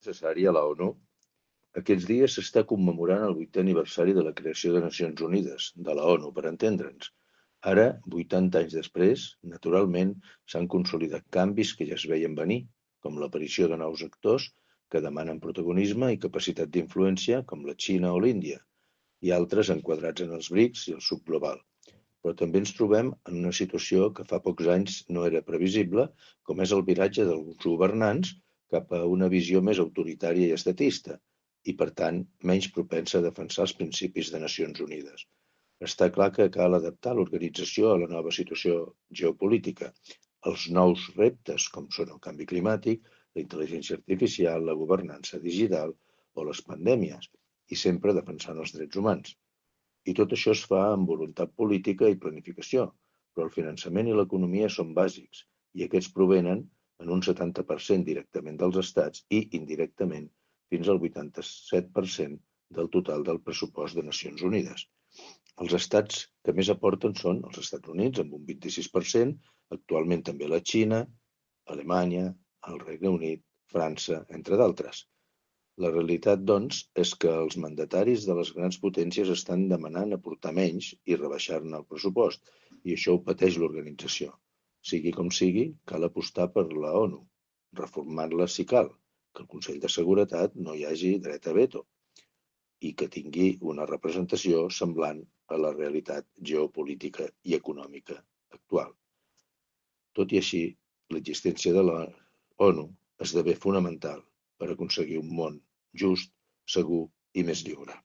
Necessari a la ONU. Aquests dies s'està commemorant el 8è aniversari de la creació de Nacions Unides, de la ONU, per entendre'ns. Ara, 80 anys després, naturalment, s'han consolidat canvis que ja es veien venir, com l'aparició de nous actors que demanen protagonisme i capacitat d'influència, com la Xina o l'Índia, i altres enquadrats en els BRICS i el sud global. Però també ens trobem en una situació que fa pocs anys no era previsible, com és el viratge d'alguns governants cap a una visió més autoritària i estatista, i per tant menys propensa a defensar els principis de Nacions Unides. Està clar que cal adaptar l'organització a la nova situació geopolítica, els nous reptes com són el canvi climàtic, la intel·ligència artificial, la governança digital o les pandèmies, i sempre defensant els drets humans. I tot això es fa amb voluntat política i planificació, però el finançament i l'economia són bàsics, i aquests provenen en un 70% directament dels estats i, indirectament, fins al 87% del total del pressupost de Nacions Unides. Els estats que més aporten són els Estats Units, amb un 26%, actualment també la Xina, Alemanya, el Regne Unit, França, entre d'altres. La realitat, doncs, és que els mandataris de les grans potències estan demanant aportar menys i rebaixar-ne el pressupost, i això ho pateix l'organització. Sigui com sigui, cal apostar per la ONU, reformant-la si cal, que el Consell de Seguretat no hi hagi dret a veto i que tingui una representació semblant a la realitat geopolítica i econòmica actual. Tot i així, l'existència de la ONU esdevé fonamental per aconseguir un món just, segur i més lliure.